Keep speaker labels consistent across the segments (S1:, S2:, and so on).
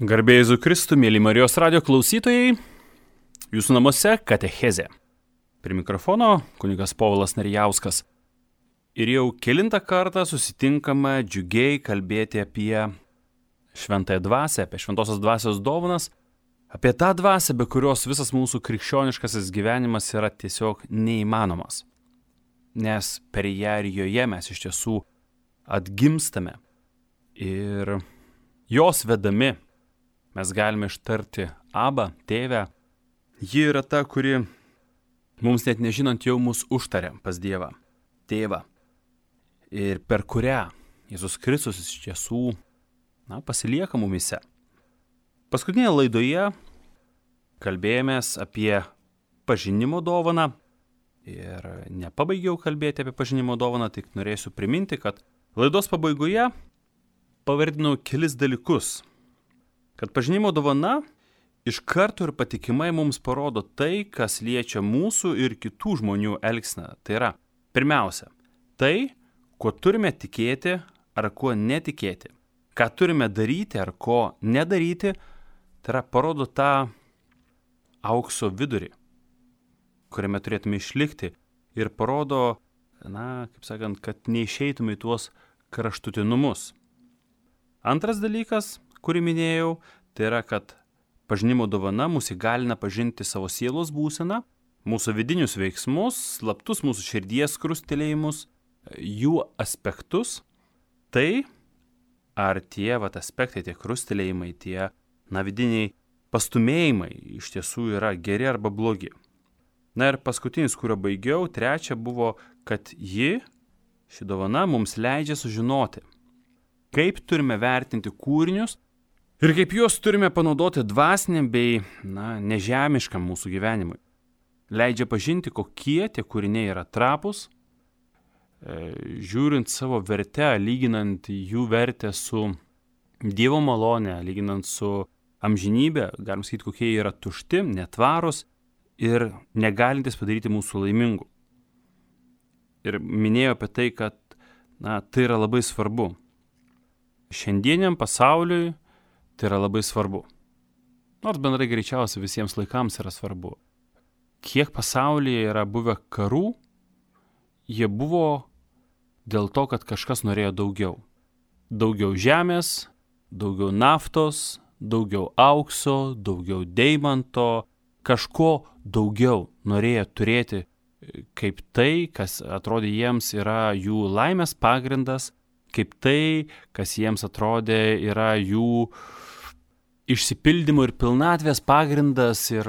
S1: Garbė Jėzui Kristui, mėly Marijos radijo klausytojai, jūsų namuose katechezė. Prie mikrofono kunigas Povilas Narijauskas. Ir jau kelintą kartą susitinkame džiugiai kalbėti apie šventąją dvasią, apie šventosios dvasios dovanas, apie tą dvasią, be kurios visas mūsų krikščioniškasis gyvenimas yra tiesiog neįmanomas. Nes per ją ir joje mes iš tiesų atgimstame ir jos vedami mes galime ištarti Abba, tėvę. Ji yra ta, kuri mums net nežinant jau mus užtaria pas Dievą, tėvą. Ir per kurią Jėzus Kristus iš tiesų pasilieka mumise. Paskutinėje laidoje kalbėjomės apie pažinimo dovaną. Ir nepabaigiau kalbėti apie pažinimo dovaną, tik norėsiu priminti, kad laidos pabaigoje pavardinau kelis dalykus. Kad pažinimo dovana iš karto ir patikimai mums parodo tai, kas liečia mūsų ir kitų žmonių elgseną. Tai yra, pirmiausia, tai, kuo turime tikėti ar kuo netikėti. Ką turime daryti ar ko nedaryti, tai yra parodo tą aukso vidurį, kuriame turėtume išlikti ir parodo, kad neišeitume į tuos kraštutinumus. Antras dalykas, kurį minėjau, tai yra, kad pažinimo dovana mus įgalina pažinti savo sielos būseną, mūsų vidinius veiksmus, slaptus mūsų širdies krustelėjimus, jų aspektus. Tai ar tie aspektai, tie krustelėjimai, tie vidiniai pastumėjimai iš tiesų yra geri arba blogi. Ir paskutinis, kurio baigiau, trečia buvo, kad ši dovana mums leidžia sužinoti, kaip turime vertinti kūrinius ir kaip juos turime panaudoti dvasiniam bei nežemiškam mūsų gyvenimui. Leidžia pažinti, kokie tie kūriniai yra trapūs, žiūrint savo vertę, lyginant jų vertę su Dievo malone, lyginant su amžinybė, galim sakyti, kokie yra tušti, netvarūs ir negalintis padaryti mūsų laimingų. Ir minėjau apie tai, kad tai yra labai svarbu. Šiandieniam pasauliui tai yra labai svarbu. Nors bendrai greičiausiai visiems laikams yra svarbu. Kiek pasaulyje yra buvę karų, jie buvo dėl to, kad kažkas norėjo daugiau. Daugiau žemės, daugiau naftos, daugiau aukso, daugiau deimanto, kažko daugiau norėjo turėti kaip tai, kas atrodė jiems yra jų laimės pagrindas, kaip tai, kas jiems atrodė yra jų išsipildymo ir pilnatvės pagrindas ir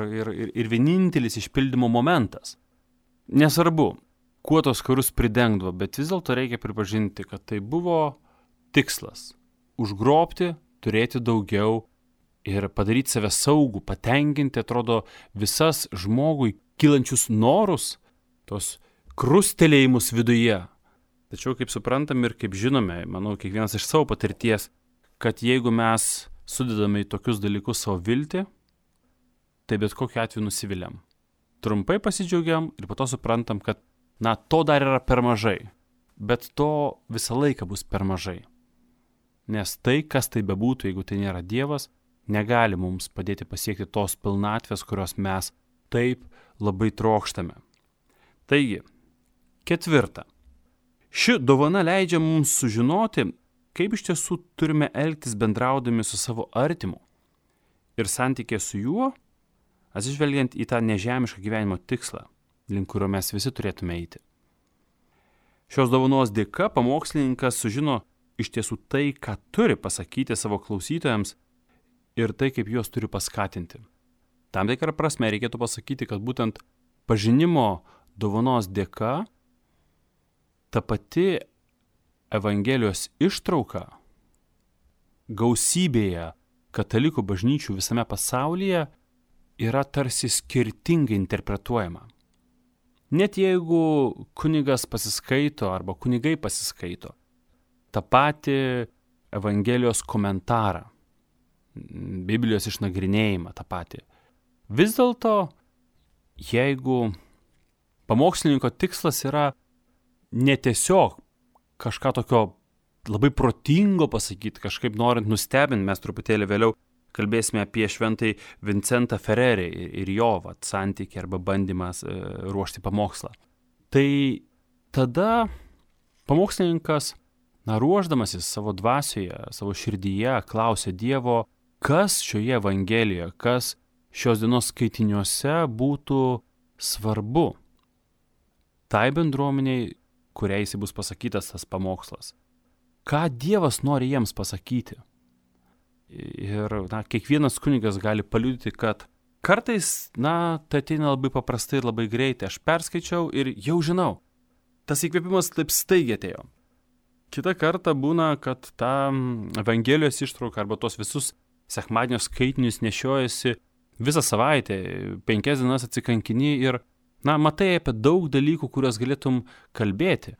S1: vienintelis išpildymo momentas. Nesvarbu, kuo tos karus pridengdavo, bet vis dėlto reikia pripažinti, kad tai buvo tikslas – užgrobti, turėti daugiau ir padaryti save saugų, patenkinti, atrodo, visas žmogui kylančius norus, tos krustelėjimus viduje. Tačiau, kaip suprantam ir kaip žinome, manau, kiekvienas iš savo patirties, kad jeigu mes sudedame į tokius dalykus savo viltį, tai bet kokiu atveju nusiviliam. Trumpai pasidžiaugiam ir po to suprantam, kad, to dar yra per mažai, bet to visą laiką bus per mažai. Nes tai, kas tai bebūtų, jeigu tai nėra Dievas, negali mums padėti pasiekti tos pilnatvės, kurios mes taip labai trokštame. Taigi, ketvirta. Ši dovana leidžia mums sužinoti, kaip iš tiesų turime elgtis bendraudami su savo artimu ir santykė su juo, atsižvelgiant į tą nežemišką gyvenimo tikslą, link kurio mes visi turėtume eiti. Šios dovanos dėka pamokslininkas sužino iš tiesų tai, ką turi pasakyti savo klausytojams ir tai, kaip juos turi paskatinti. Tam tikrą prasme reikėtų pasakyti, kad būtent pažinimo dovanos dėka ta pati Evangelijos ištrauka gausybėje katalikų bažnyčių visame pasaulyje yra tarsi skirtingai interpretuojama. Net jeigu kunigas pasiskaito arba kunigai pasiskaito tą patį Evangelijos komentarą, Biblijos išnagrinėjimą tą patį, vis dėlto, jeigu pamokslininko tikslas yra ne tiesiog kažką tokio labai protingo pasakyti, kažkaip norint nustebinti, mes truputėlį vėliau kalbėsime apie šventąjį Vincentą Ferrerį ir jo santykį arba bandymas ruošti pamokslą. Tai tada pamokslininkas, ruošdamasis savo dvasioje, savo širdyje, klausė Dievo, kas šioje Evangelijoje, kas šios dienos skaitiniuose būtų svarbu tai bendruomeniai, kuriai jis bus pasakytas tas pamokslas. Ką Dievas nori jiems pasakyti. Ir kiekvienas kunigas gali paliudyti, kad kartais, tai ateina labai paprastai ir labai greitai. Aš perskaičiau ir jau žinau. Tas įkvėpimas taip staigiai atėjo. Kita kartą būna, kad ta Evangelijos ištrauka arba tos visus sekmadienio skaitinius nešiojasi visą savaitę, 5 dienas atsikankini ir, matai apie daug dalykų, kuriuos galėtum kalbėti.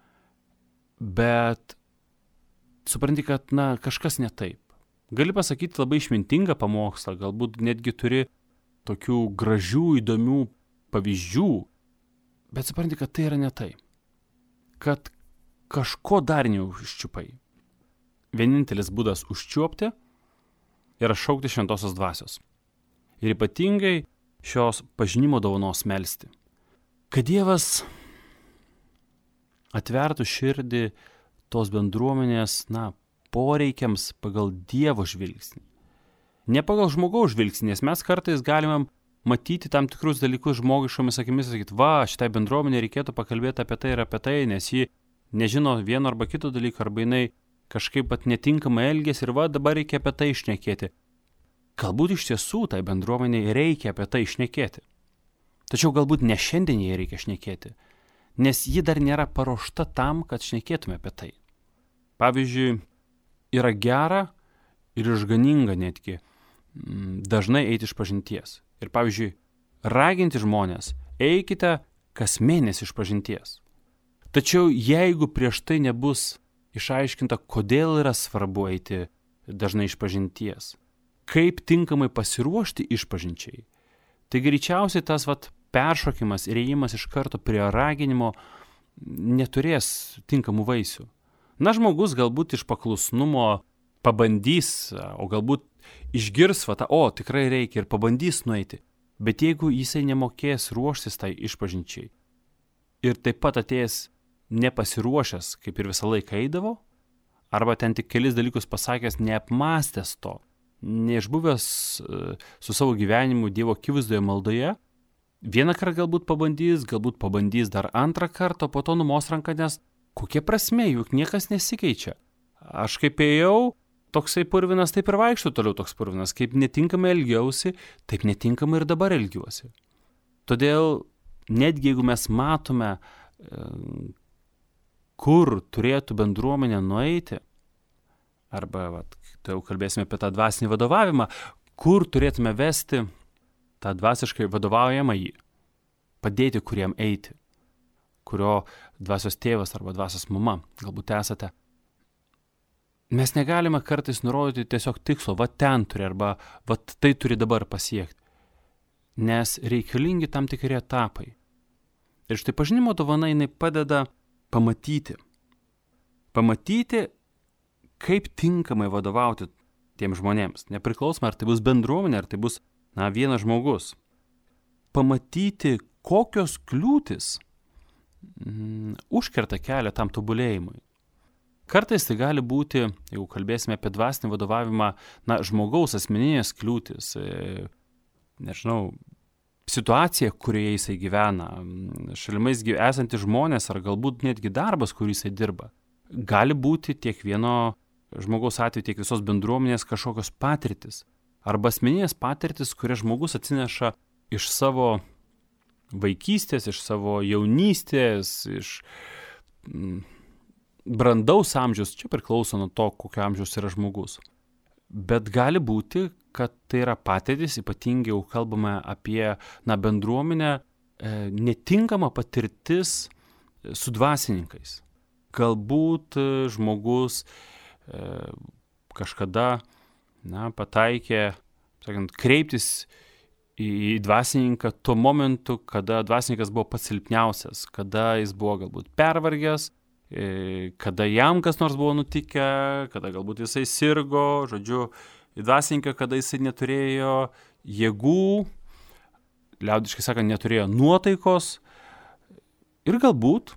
S1: Bet supranti, kad, kažkas ne taip. Gali pasakyti labai išmintingą pamokslą, galbūt netgi turi tokių gražių, įdomių pavyzdžių, bet supranti, kad tai yra ne tai. Kad kažko dar neužčiupai. Vienintelis būdas užčiuopti yra šaukti šventosios dvasios. Ir ypatingai šios pažinimo dovanos melsti. Kad Dievas atvertų širdį tos bendruomenės, poreikiams pagal Dievo žvilgsnį. Ne pagal žmogaus žvilgsnį, nes mes kartais galime matyti tam tikrus dalykus žmogiškomis akimis ir sakyti, šitai bendruomenė reikėtų pakalbėti apie tai ir apie tai, nes ji nežino vieno arba kito dalyko, arba jinai kažkaip netinkamai elgėsi ir dabar reikia apie tai išnekėti. Galbūt iš tiesų tai bendruomeniai reikia apie tai išnekėti. Tačiau galbūt ne šiandien jai reikia šnekėti, nes ji dar nėra paruošta tam, kad šnekėtume apie tai. Pavyzdžiui, yra gera ir išganinga netgi dažnai eiti iš pažinties. Ir pavyzdžiui, raginti žmonės, eikite kas mėnesį iš pažinties. Tačiau jeigu prieš tai nebus išaiškinta, kodėl yra svarbu eiti dažnai iš pažinties, kaip tinkamai pasiruošti išpažinčiai, tai greičiausiai tas peršokimas ir ėjimas iš karto prie raginimo neturės tinkamų vaisių. Žmogus galbūt iš paklusnumo pabandys, o galbūt išgirs tikrai reikia ir pabandys nueiti. Bet jeigu jisai nemokės ruoštis tai išpažinčiai ir taip pat atėjęs nepasiruošęs, kaip ir visą laiką eidavo, arba ten tik kelis dalykus pasakęs, neapmąstęs to, neišbuvęs su savo gyvenimu Dievo akivaizdoje maldoje, vieną kartą galbūt pabandys dar antrą kartą, po to numos ranką, nes kokia prasmė, juk niekas nesikeičia. Aš kaip ėjau, toksai purvinas, taip ir vaikščiu toliau toks purvinas, kaip netinkamai elgiausi, taip netinkamai ir dabar elgiuosi. Todėl, netgi jeigu mes matome, kur turėtų bendruomenė nueiti, arba, tai jau kalbėsime apie tą dvasinį vadovavimą, kur turėtume vesti tą dvasiškai vadovaujamą jį, padėti kuriam eiti, kurio dvasios tėvas arba dvasios mama galbūt esate. Mes negalime kartais nurodyti tiesiog tikslo, ten turi arba tai turi dabar pasiekti, nes reikalingi tam tikri etapai. Ir štai pažinimo dovana jinai padeda pamatyti, kaip tinkamai vadovauti tiems žmonėms, nepriklausomai ar tai bus bendruomenė, ar tai bus vienas žmogus. Pamatyti, kokios kliūtis užkerta kelią tam tobulėjimui. Kartais tai gali būti, jeigu kalbėsime apie dvasinį vadovavimą, žmogaus asmeninės kliūtis, situacija, kurioje jisai gyvena, šalimais esantys žmonės ar galbūt netgi darbas, kurį jisai dirba. Gali būti tiek vieno žmogaus atveju, tiek visos bendruomenės kažkokios patirtis arba asmeninės patirtis, kurias žmogus atsineša iš savo vaikystės, iš savo jaunystės, iš brandaus amžiaus, čia priklauso nuo to, kokio amžiaus yra žmogus. Bet gali būti, kad tai yra patirtis, ypatingai jau kalbame apie bendruomenę, netinkama patirtis su dvasininkais. Galbūt žmogus kažkada pataikė, kreiptis į dvasininką tuo momentu, kada dvasininkas buvo pats silpniausias, kada jis buvo galbūt pervargęs, kada jam kas nors buvo nutikę, kada galbūt jisai sirgo, dvasininką, kada jisai neturėjo jėgų, liaudiškai sakant, neturėjo nuotaikos ir galbūt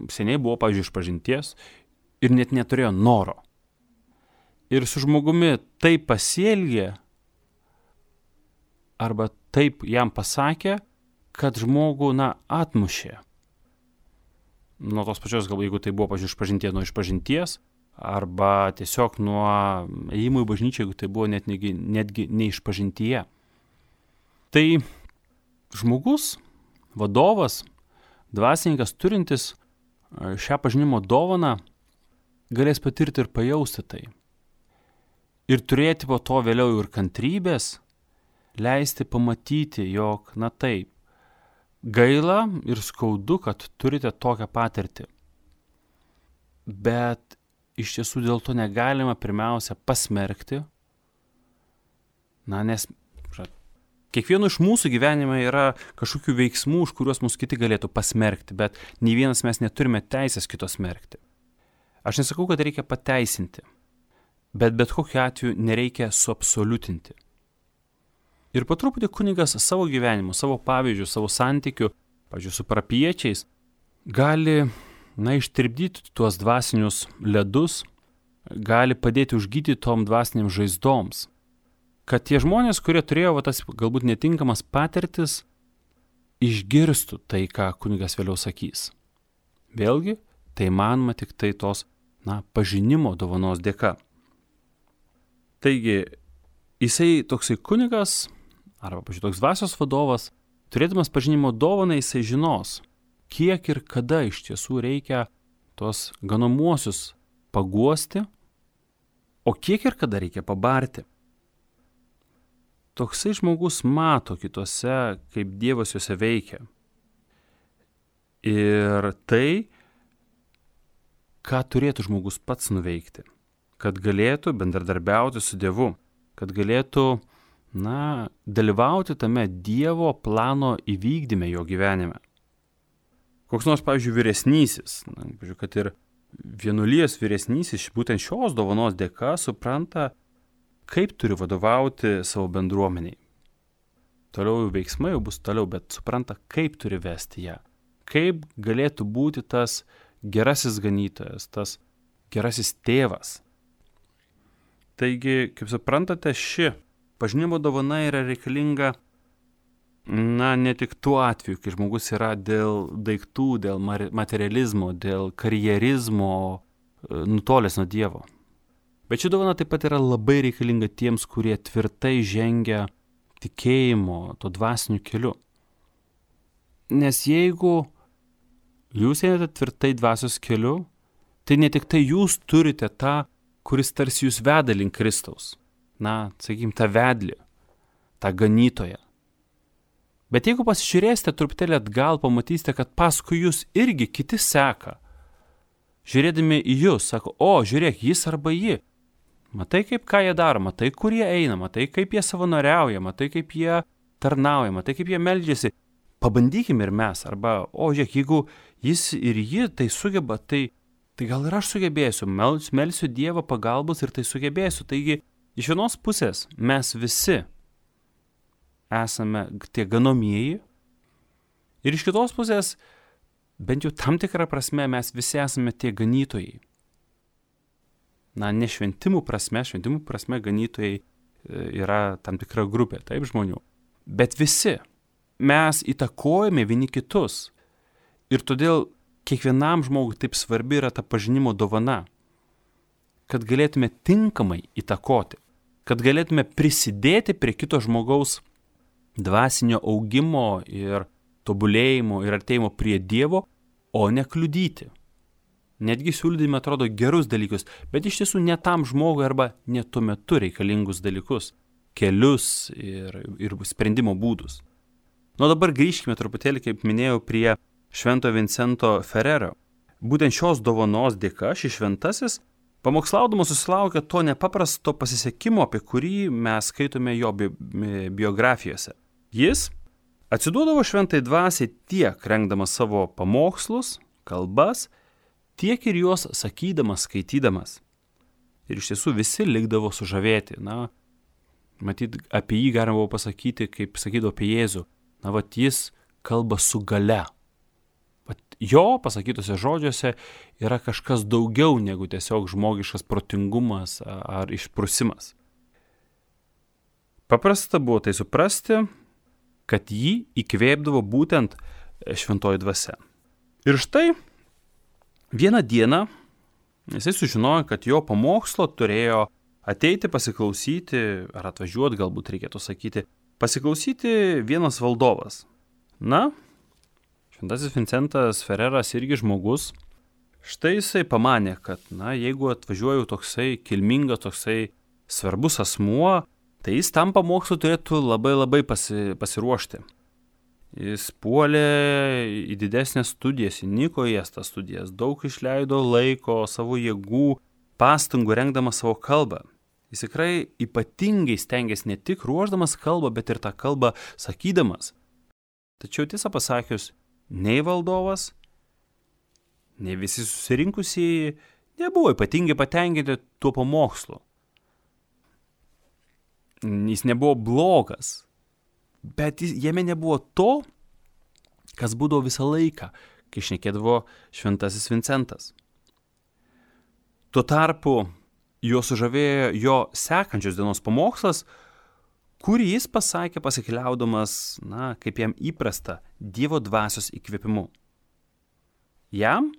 S1: seniai buvo, pavyzdžiui, išpažinties ir net neturėjo noro. Ir su žmogumi taip pasielgė arba taip jam pasakė, kad žmogų, atmušė. Nuo tos pačios, galbūt, jeigu tai buvo, pavyzdžiui, išpažinties nuo išpažinties, arba tiesiog nuo ėjimo į bažnyčią, jeigu tai buvo netgi neišpažintyje. Tai žmogus, vadovas, dvasininkas turintis šią pažinimo dovaną galės patirti ir pajausti tai. Ir turėti po to vėliau ir kantrybės, leisti pamatyti, jog, taip, gaila ir skaudu, kad turite tokią patirtį. Bet iš tiesų dėl to negalima pirmiausia pasmerkti, nes kiekvieno iš mūsų gyvenime yra kažkokių veiksmų, už kuriuos mūsų kiti galėtų pasmerkti, bet nei vienas mes neturime teisės kito smerkti. Aš nesakau, kad reikia pateisinti, bet kokiu atveju nereikia suabsoliutinti. Ir po truputį kunigas savo gyvenimu, savo pavyzdžių, savo santykių, pavyzdžiui, su parapijiečiais, gali ištirpdyti tuos dvasinius ledus, gali padėti užgydyti tom dvasiniams žaizdoms. Kad tie žmonės, kurie turėjo tas galbūt netinkamas patirtis, išgirstų tai, ką kunigas vėliau sakys. Vėlgi, tai manoma tik tai tos, pažinimo dovanos dėka. Taigi, jisai toksai kunigas, arba, pavyzdžiui, toks dvasios vadovas, turėdamas pažinimo dovaną, jisai žinos, kiek ir kada iš tiesų reikia tos ganomuosius paguosti, o kiek ir kada reikia pabarti. Toksai žmogus mato kitose, kaip Dievas juose veikia. Ir tai, ką turėtų žmogus pats nuveikti, kad galėtų bendradarbiauti su Dievu, kad galėtų, dalyvauti tame Dievo plano įvykdyme jo gyvenime. Koks nors, pavyzdžiui, vyresnysis, kad ir vienuolijos vyresnysis, būtent šios dovanos dėka supranta, kaip turi vadovauti savo bendruomeniai. Toliau veiksmai jau bus toliau, bet supranta, kaip turi vesti ją. Kaip galėtų būti tas gerasis ganytojas, tas gerasis tėvas. Taigi, kaip suprantate, ši pažinimo dovana yra reikalinga, ne tik tuo atveju, kai žmogus yra dėl daiktų, dėl materializmo, dėl karjerizmo nutolęs nuo Dievo. Bet ši dovana taip pat yra labai reikalinga tiems, kurie tvirtai žengia tikėjimo, to dvasiniu keliu. Nes jeigu jūs einate tvirtai dvasios keliu, tai ne tik tai jūs turite tą, kuris tarsi jūs veda link Kristaus. Tą vedlį, tą ganytoją. Bet jeigu pasižiūrėsite truputėlį atgal, pamatysite, kad paskui jūs irgi kiti seka. Žiūrėdami į jūs, sako, žiūrėk, jis arba ji. Matai, ką jie daro, matai, kur jie eina, matai, kaip jie savanoriauja, matai, kaip jie tarnauja, matai, kaip jie meldžiasi. Pabandykime ir mes. Arba, žiūrėk, jeigu jis ir ji tai sugeba, tai gal ir aš sugebėsiu. Melsiu Dievo pagalbos ir tai sugebėsiu. Taigi, iš vienos pusės mes visi esame tie ganomieji ir iš kitos pusės, bent jau tam tikrą prasme, mes visi esame tie ganytojai. Ne šventimų prasme ganytojai yra tam tikra grupė, taip, žmonių. Bet visi mes įtakojame vieni kitus. Ir todėl kiekvienam žmogui taip svarbi yra ta pažinimo dovana, kad galėtume tinkamai įtakoti, kad galėtume prisidėti prie kito žmogaus dvasinio augimo ir tobulėjimo ir artėjimo prie Dievo, o ne kliudyti. Netgi siūlydami atrodo gerus dalykus, bet iš tiesų ne tam žmogui arba ne tuo metu reikalingus dalykus, kelius ir sprendimo būdus. Dabar grįžkime truputėlį, kaip minėjau, prie Švento Vincento Ferrero. Būtent šios dovanos dėka šis šventasis pamokslaudamas susilaukė to nepaprasto pasisekimo, apie kurį mes skaitome jo biografijose. Jis atsiduodavo šventai dvasiai tiek rengdamas savo pamokslus, kalbas, tiek ir juos sakydamas, skaitydamas. Ir iš tiesų visi likdavo sužavėti. Matyt, apie jį galima buvo pasakyti, kaip sakydavo apie Jėzų. Na, vat jis kalba su galia. Vat jo pasakytose žodžiuose yra kažkas daugiau negu tiesiog žmogiškas protingumas ar išprusimas. Paprasta buvo tai suprasti, kad jį įkvėpdavo būtent šventoji dvasia. Ir štai vieną dieną jisai sužinojo, kad jo pamokslo turėjo ateiti pasiklausyti, ar atvažiuoti, galbūt reikėtų sakyti, pasiklausyti vienas valdovas. Na, šventasis Vincentas Ferreras irgi žmogus. Štai jisai pamanė, kad, jeigu atvažiuoju toksai kilmingas, toksai svarbus asmuo, tai jis tam pamokslu turėtų labai pasiruošti. Jis puolė į didesnės studijas, įniko į jas tas studijas, daug išleido laiko, savo jėgų, pastangų rengdamas savo kalbą. Jis tikrai ypatingai stengiasi ne tik ruošdamas kalbą, bet ir tą kalbą sakydamas. Tačiau tiesą pasakius, nei valdovas, nei visi susirinkusieji nebuvo ypatingai patenkinti tuo pamokslu. Jis nebuvo blogas, bet jame nebuvo to, kas būdavo visą laiką, kai šnekėdavo šventasis Vincentas. Tuo tarpu jo sužavėjo jo sekančios dienos pamokslas, kurį jis pasakė pasikliaudamas, kaip jam įprasta, Dievo dvasios įkvėpimu. Jam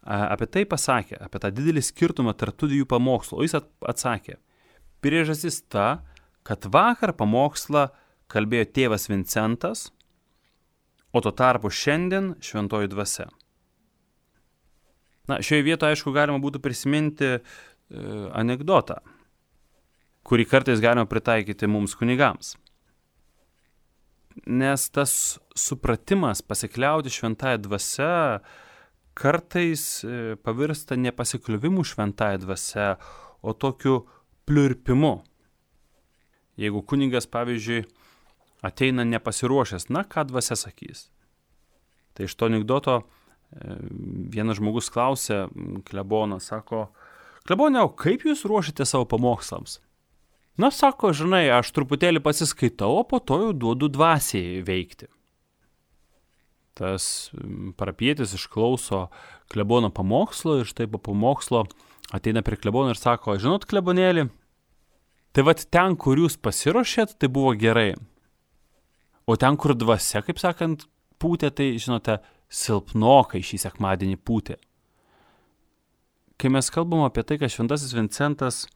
S1: apie tai pasakė, apie tą didelį skirtumą tarp tų dviejų pamokslų, o jis atsakė, priežastis ta, kad vakar pamokslą kalbėjo tėvas Vincentas, o tuo tarpu šiandien šventoji dvasia. Šioje vietoje, aišku, galima būtų prisiminti anekdotą, kurį kartais galima pritaikyti mums kunigams. Nes tas supratimas pasikliauti šventąją dvasia kartais pavirsta ne pasikliuvimu šventąją dvasia, o tokiu pliurpimu. Jeigu kunigas, pavyzdžiui, ateina nepasiruošęs, ką dvasia sakys. Tai iš to anekdoto vienas žmogus klausė kleboną, sako, klebone, o kaip jūs ruošite savo pamokslams? Sako, žinai, aš truputėlį pasiskaitau, o po to jau duodu dvasiai veikti. Tas parapietis išklauso klebono pamokslo ir štai po pamokslo ateina prie klebono ir sako, žinot, klebonėlį, tai vat ten, kur jūs pasiruošėt, tai buvo gerai. O ten, kur dvasia, kaip sakant, pūtė, tai, žinote, silpnokai šį sekmadienį pūtė. Kai mes kalbam apie tai, kad šventasis Vincentas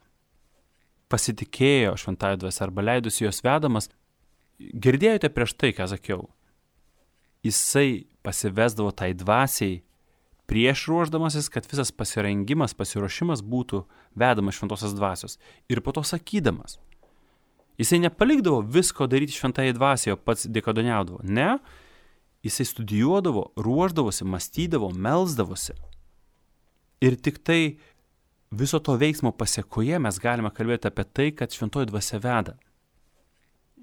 S1: pasitikėjo šventąją dvasią arba leidusi jos vedamas, girdėjote prieš tai, ką sakiau. Jisai pasivesdavo tai dvasiai prieš ruošdamasis, kad visas pasirengimas, pasiruošimas būtų vedamas šventosios dvasios. Ir po to sakydamas. Jisai nepalikdavo visko daryti šventąją dvasią, o pats dykaduoniaudavo. Ne, jisai studijuodavo, ruošdavosi, mąstydavo, melsdavosi. Ir tik tai viso to veiksmo pasiekoje mes galime kalbėti apie tai, kad šventoji dvasia veda.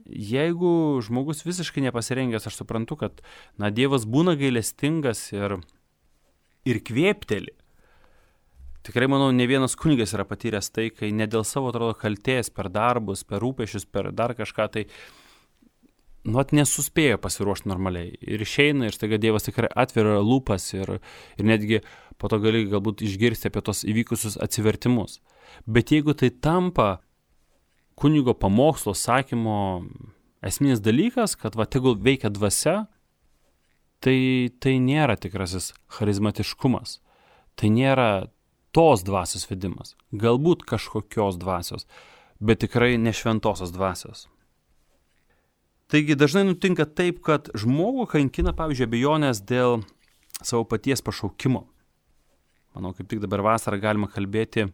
S1: Jeigu žmogus visiškai nepasirengęs, aš suprantu, kad Dievas būna gailestingas ir kvėpteli. Tikrai, manau, ne vienas kunigas yra patyręs tai, kai ne dėl savo, atrodo, kaltės, per darbus, per rūpešius, per dar kažką, tai nesuspėjo pasiruošti normaliai. Ir išeina, ir staiga Dievas tikrai atveria lūpas ir netgi po to gali galbūt išgirsti apie tos įvykusius atsivertimus. Bet jeigu tai tampa kunigo pamokslo sakymo esminis dalykas, kad tegul veikia dvasia, tai nėra tikrasis charizmatiškumas. Tai nėra tos dvasios vedimas. Galbūt kažkokios dvasios, bet tikrai ne šventosios dvasios. Taigi dažnai nutinka taip, kad žmogų kankina, pavyzdžiui, abejonės dėl savo paties pašaukimo. Manau, kaip tik dabar vasarą galima kalbėti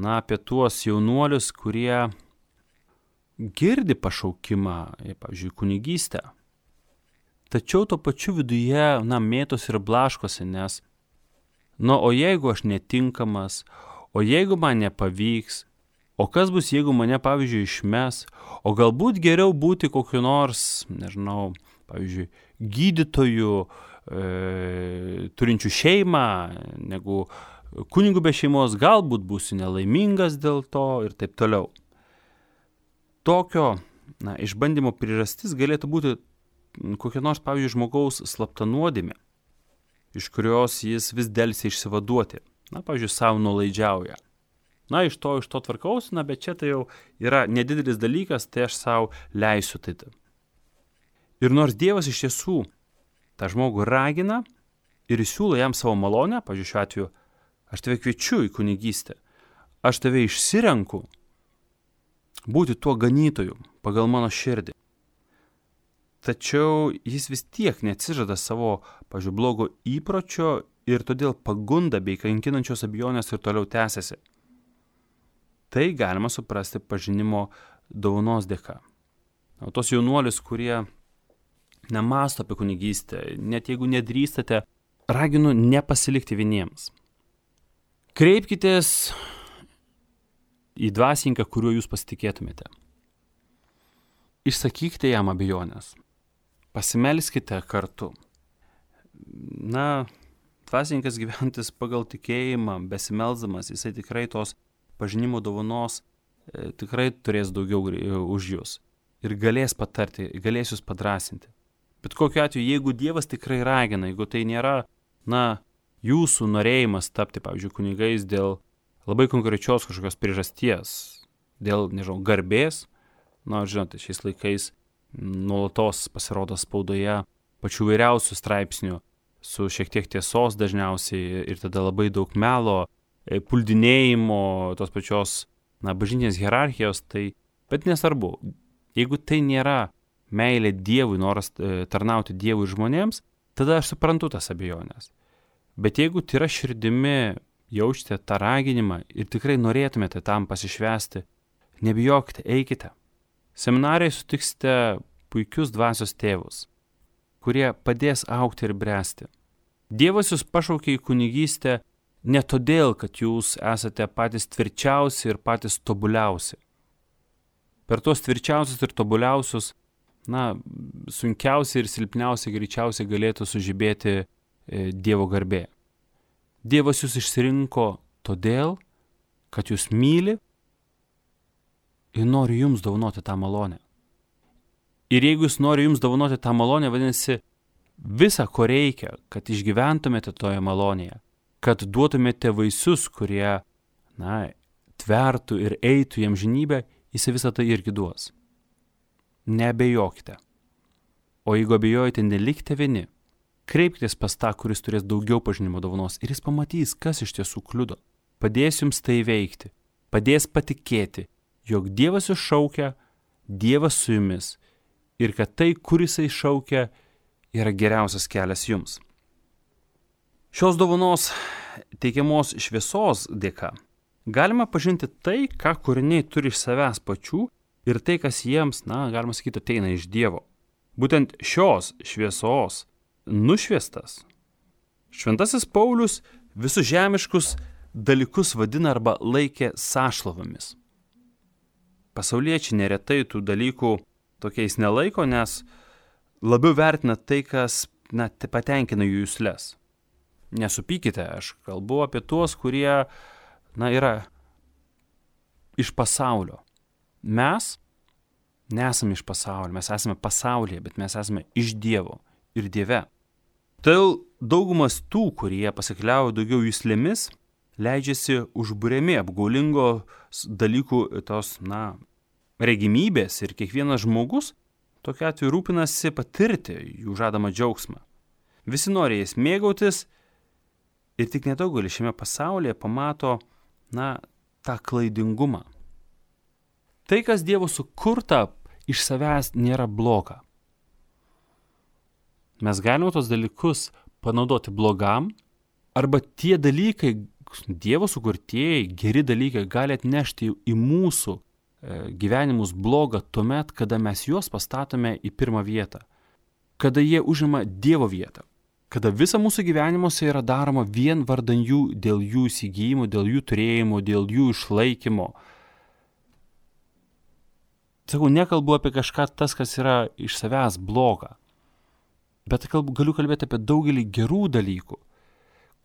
S1: apie tuos jaunuolius, kurie girdi pašaukimą, pavyzdžiui, kunigystę. Tačiau tuo pačiu viduje, mėtosi ir blaškosi, nes o jeigu aš netinkamas, o jeigu man nepavyks, o kas bus, jeigu mane, pavyzdžiui, išmes, o galbūt geriau būti kokiu nors, nežinau, pavyzdžiui, gydytoju, turinčių šeimą, negu kunigu be šeimos, galbūt būsiu nelaimingas dėl to ir taip toliau. Tokio išbandymo priežastis galėtų būti kokia nors, pavyzdžiui, žmogaus slapta nuodėmė, iš kurios jis vis delsia išsivaduoti. Pavyzdžiui, savo nuolaidžiauja. Iš to tvarkaus, bet čia tai jau yra nedidelis dalykas, tai aš savo leisiu tai. Ir nors Dievas iš tiesų tą žmogų ragina ir siūlo jam savo malonę, pavyzdžiui, šiuo atveju, aš tave kviečiu į kunigystę, aš tave išsirenku būti tuo ganytoju pagal mano širdį. Tačiau jis vis tiek neatsižada savo, pavyzdžiui, blogo įpročio ir todėl pagunda bei kankinančios abejonės ir toliau tęsiasi. Tai galima suprasti pažinimo dovanos dėka. O tos jaunuolis, kurie nemąsto apie kunigystę, net jeigu nedrįstate, raginu nepasilikti vieniems. Kreipkitės į dvasininką, kuriuo jūs pasitikėtumėte. Išsakykite jam abejonės. Pasimelskite kartu. Dvasininkas gyventis pagal tikėjimą, besimelsdamas, jisai tikrai tos pažinimo dovanos tikrai turės daugiau už jūs. Ir galės patarti, galės jūs padrasinti. Bet kokiu atveju, jeigu Dievas tikrai ragina, jeigu tai nėra, jūsų norėjimas tapti, pavyzdžiui, kunigais dėl labai konkrečios kažkokios priežasties, dėl, garbės, žinote, šiais laikais nuolatos pasirodo spaudoje pačių vairiausių straipsnių su šiek tiek tiesos dažniausiai ir tada labai daug melo, puldinėjimo, tos pačios, bažnytinės hierarchijos, bet nesvarbu. Jeigu tai nėra meilė Dievui, noras tarnauti Dievui ir žmonėms, tada aš suprantu tas abejonės. Bet jeigu tai yra širdimi, jaučiate tą raginimą ir tikrai norėtumėte tam pasišvęsti, nebijokite, eikite. Seminarijai sutiksite puikius dvasios tėvus, kurie padės augti ir bręsti. Dievas jūs pašaukė į kunigystę ne todėl, kad jūs esate patys tvirčiausi ir patys tobuliausi. Per tuos tvirčiausius ir tobuliausius, sunkiausiai ir silpniausiai greičiausiai galėtų sužibėti Dievo garbė. Dievas jūs išsirinko todėl, kad jūs myli ir nori jums dovanoti tą malonę. Ir jeigu jis nori jums dovanoti tą malonę, vadinasi, visa, ko reikia, kad išgyventumėte toje malonėje, kad duotumėte vaisius, kurie, tvertų ir eitų į amžinybę, jis visą tai irgi duos. Neabejokite. O jeigu abejojate, nelikite vieni. Kreipkitės pas tą, kuris turės daugiau pažinimo dovanos ir jis pamatys, kas iš tiesų kliudo. Padės jums tai veikti. Padės patikėti, jog Dievas jūs šaukia, Dievas su jumis ir kad tai, kur jisai šaukia, yra geriausias kelias jums. Šios dovanos teikiamos šviesos dėka galima pažinti tai, ką kūriniai turi iš savęs pačių ir tai, kas jiems, galima sakyti, ateina iš Dievo. Būtent šios šviesos nušviestas Šventasis Paulius visus žemiškus dalykus vadina arba laikė sąšlovomis. Pasauliečiai neretai tų dalykų tokiais nelaiko, nes labiau vertina tai, kas patenkina jų jusles. Nesupykite, aš kalbu apie tuos, kurie, yra iš pasaulio. Mes nesame iš pasaulio, mes esame pasaulyje, bet mes esame iš Dievo ir Dieve. Todėl daugumas tų, kurie pasikliauja daugiau juslėmis, leidžiasi užburiami apgaulingos dalykų tos, regimybės ir kiekvienas žmogus tokiu atveju rūpinasi patirti jų žadamą džiaugsmą. Visi nori jais mėgautis ir tik nedaugelis šiame pasaulyje pamato, tą klaidingumą. Tai, kas Dievo sukurta, iš savęs nėra bloga. Mes galime tos dalykus panaudoti blogam, arba tie dalykai, Dievo sukurtieji, geri dalykai gali atnešti į mūsų gyvenimus blogą tuomet, kada mes juos pastatome į pirmą vietą, kada jie užima Dievo vietą, kada visa mūsų gyvenimuose yra daroma vien vardan jų, dėl jų įsigijimo, dėl jų turėjimo, dėl jų išlaikymo. Sakau, nekalbu apie kažką tas, kas yra iš savęs bloga, bet galiu kalbėti apie daugelį gerų dalykų,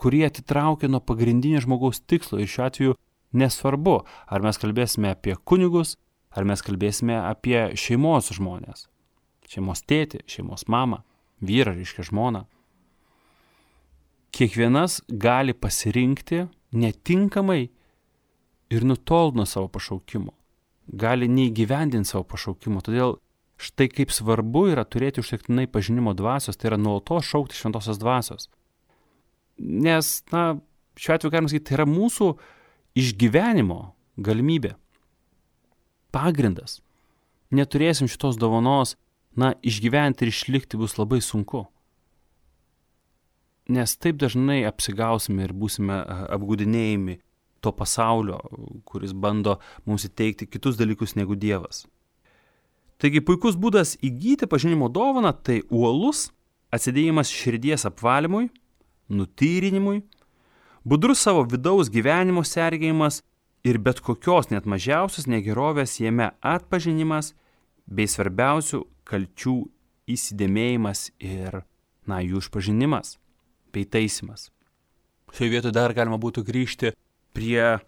S1: kurie atitraukia nuo pagrindinio žmogaus tikslo. Ir šiuo atveju nesvarbu, ar mes kalbėsime apie kunigus, Ar mes kalbėsime apie šeimos žmonės, šeimos tėtį, šeimos mamą, vyrą, reiškia žmoną. Kiekvienas gali pasirinkti netinkamai ir nutolt nuo savo pašaukimo. Gali neįgyvendinti savo pašaukimo. Todėl štai kaip svarbu yra turėti užtektinai pažinimo dvasios, tai yra nuolatos šaukti šventosios dvasios. Nes, šiuo atveju galima sakyti, tai yra mūsų išgyvenimo galimybė. Pagrindas. Neturėsim šitos dovanos, išgyventi ir išlikti bus labai sunku. Nes taip dažnai apsigausime ir būsime apgaudinėjami to pasaulio, kuris bando mums įteikti kitus dalykus negu Dievas. Taigi puikus būdas įgyti pažinimo dovaną tai uolus atsidėjimas širdies apvalymui, nutyrinimui, budrus savo vidaus gyvenimo sergėjimas ir bet kokios net mažiausios negerovės jame atpažinimas bei svarbiausių kalčių įsidėmėjimas ir, jų išpažinimas bei taisymas. Šioje vietoje dar galima būtų grįžti prie,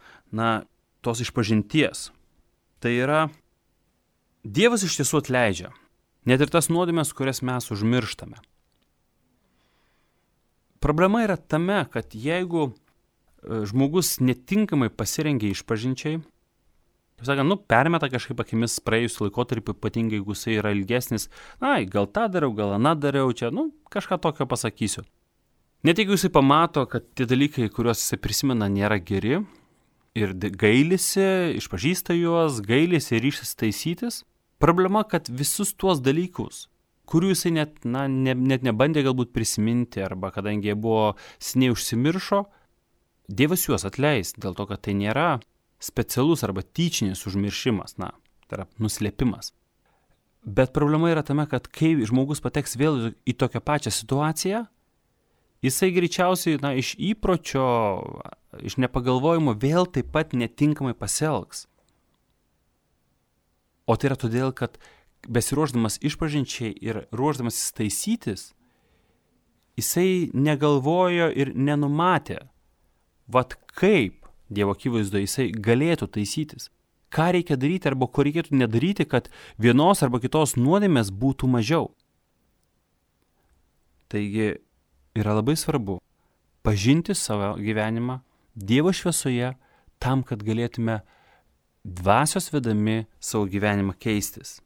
S1: tos išpažinties. Tai yra, Dievas iš tiesų atleidžia, net ir tas nuodėmes, kurias mes užmirštame. Problema yra tame, kad jeigu žmogus netinkamai pasirengia išpažinčiai, permeta kažkaip akimis praėjusiu laikotarpiu, ypatingai jeigu jisai yra ilgesnis, gal tą dariau, gal aną dariau, čia, kažką tokio pasakysiu. Net jeigu jisai pamato, kad tie dalykai, kuriuos jisai prisimena, nėra geri ir gailisi, išpažįsta juos, gailisi ir ryštis taisytis, problema, kad visus tuos dalykus, kurių jisai net nebandė galbūt prisiminti, arba kadangi jie buvo seniai užsimiršo, Dievas juos atleis, dėl to, kad tai nėra specialus arba tyčinis užmiršimas, tai yra nuslėpimas. Bet problema yra tame, kad kai žmogus pateks vėl į tokią pačią situaciją, jisai greičiausiai, iš įpročio, iš nepagalvojimo vėl taip pat netinkamai pasielgs. O tai yra todėl, kad besiruošdamas išpažinčiai ir ruošdamas taisytis, jisai negalvojo ir nenumatė, kaip Dievo akivaizdoje jisai galėtų taisytis. Ką reikia daryti arba ko reikėtų nedaryti, kad vienos arba kitos nuodėmės būtų mažiau. Taigi yra labai svarbu pažinti savo gyvenimą Dievo šviesoje tam, kad galėtume dvasios vedami savo gyvenimą keistis.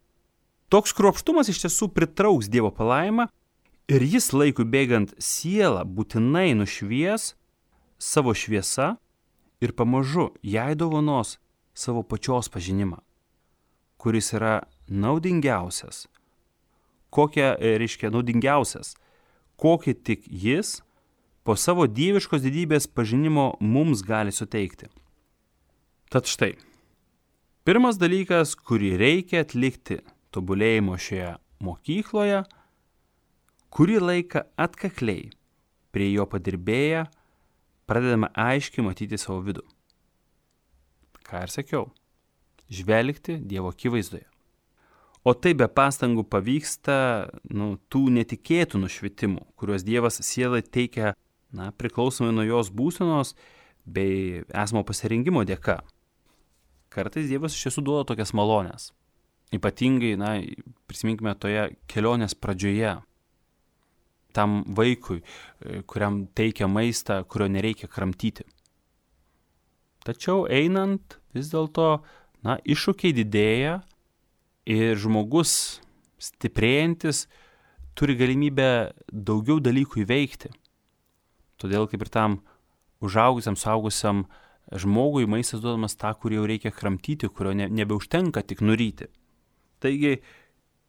S1: Toks kruopštumas iš tiesų pritrauks Dievo palaimą ir jis laikui bėgant sielą būtinai nušvies savo šviesa ir pamažu jai dovanos savo pačios pažinimą, kuris yra naudingiausias. Naudingiausias, kokį tik jis po savo dieviškos didybės pažinimo mums gali suteikti. Tad štai, pirmas dalykas, kurį reikia atlikti tobulėjimo šioje mokykloje, kurį laiką atkakliai prie jo padirbėję, pradedame aiškiai matyti savo vidų. Ką ir sakiau, žvelgti Dievo akivaizdoje. O tai be pastangų pavyksta tų netikėtų nušvitimų, kuriuos Dievas sielai teikia priklausomai nuo jos būsenos bei esamo pasirinkimo dėka. Kartais Dievas iš tiesų duoda tokias malonės. Ypatingai, prisiminkime toje kelionės pradžioje, tam vaikui, kuriam teikia maistą, kurio nereikia kramtyti. Tačiau einant vis dėlto, iššūkiai didėja ir žmogus stiprėjantis turi galimybę daugiau dalykų įveikti. Todėl kaip ir tam užaugusiam, suaugusiam žmogui maistas duodamas tą, kurį jau reikia kramtyti, kurio nebeužtenka tik nuryti. Taigi,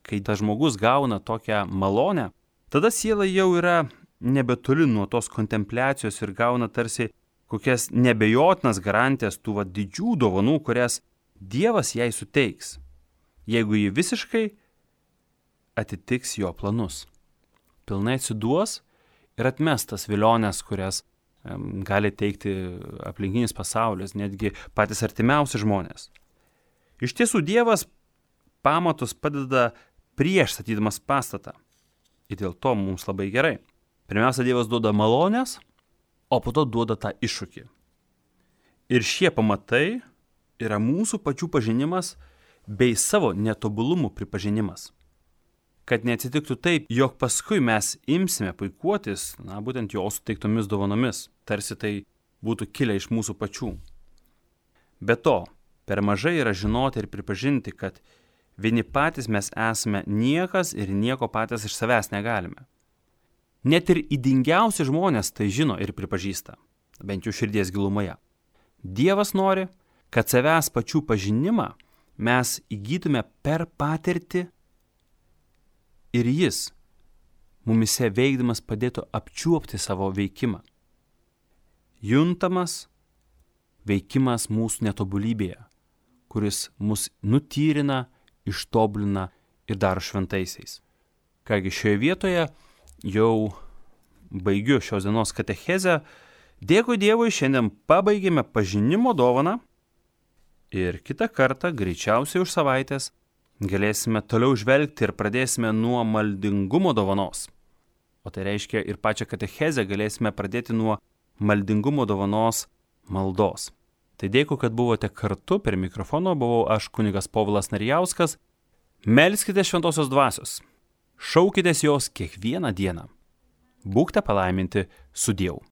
S1: kai tas žmogus gauna tokią malonę, tada siela jau yra nebetoli nuo tos kontempliacijos ir gauna tarsi kokias nebejotinas garantijas tų didžių dovanų, kurias Dievas jai suteiks, jeigu ji visiškai atitiks jo planus. Pilnai atsiduos ir atmes tas vilionės, kurias gali teikti aplinkinis pasaulis, netgi patys artimiausi žmonės. Iš tiesų Dievas pamatus padeda prieš statydamas pastatą. Ir dėl to mums labai gerai. Pirmiausia, Dievas duoda malonės, o po to duoda tą iššūkį. Ir šie pamatai yra mūsų pačių pažinimas bei savo netobulumų pripažinimas. Kad neatsitiktų taip, jog paskui mes imsime puikuotis, būtent jo suteiktomis dovanomis, tarsi tai būtų kilę iš mūsų pačių. Be to, per mažai yra žinoti ir pripažinti, kad vieni patys mes esame niekas ir nieko patys iš savęs negalime. Net ir įdingiausi žmonės tai žino ir pripažįsta, bent jau širdies gilumoje. Dievas nori, kad savęs pačių pažinimą mes įgytume per patirtį ir jis mumise veikdamas padėtų apčiuopti savo veikimą. Juntamas veikimas mūsų netobulybėje, kuris mus nutyrina, ištobulina ir daro šventaisiais. Kągi, šioje vietoje jau baigiu šios dienos katechezę. Dėkui Dievui, šiandien pabaigėme pažinimo dovaną ir kitą kartą, greičiausiai už savaitės, galėsime toliau žvelgti ir pradėsime nuo maldingumo dovanos. O tai reiškia ir pačią katechezę galėsime pradėti nuo maldingumo dovanos maldos. Tai dėkui, kad buvote kartu, prie mikrofono buvau aš kunigas Povilas Narijauskas. Melskite šventosios dvasios, šaukitės jos kiekvieną dieną. Būkite palaiminti su Dievu.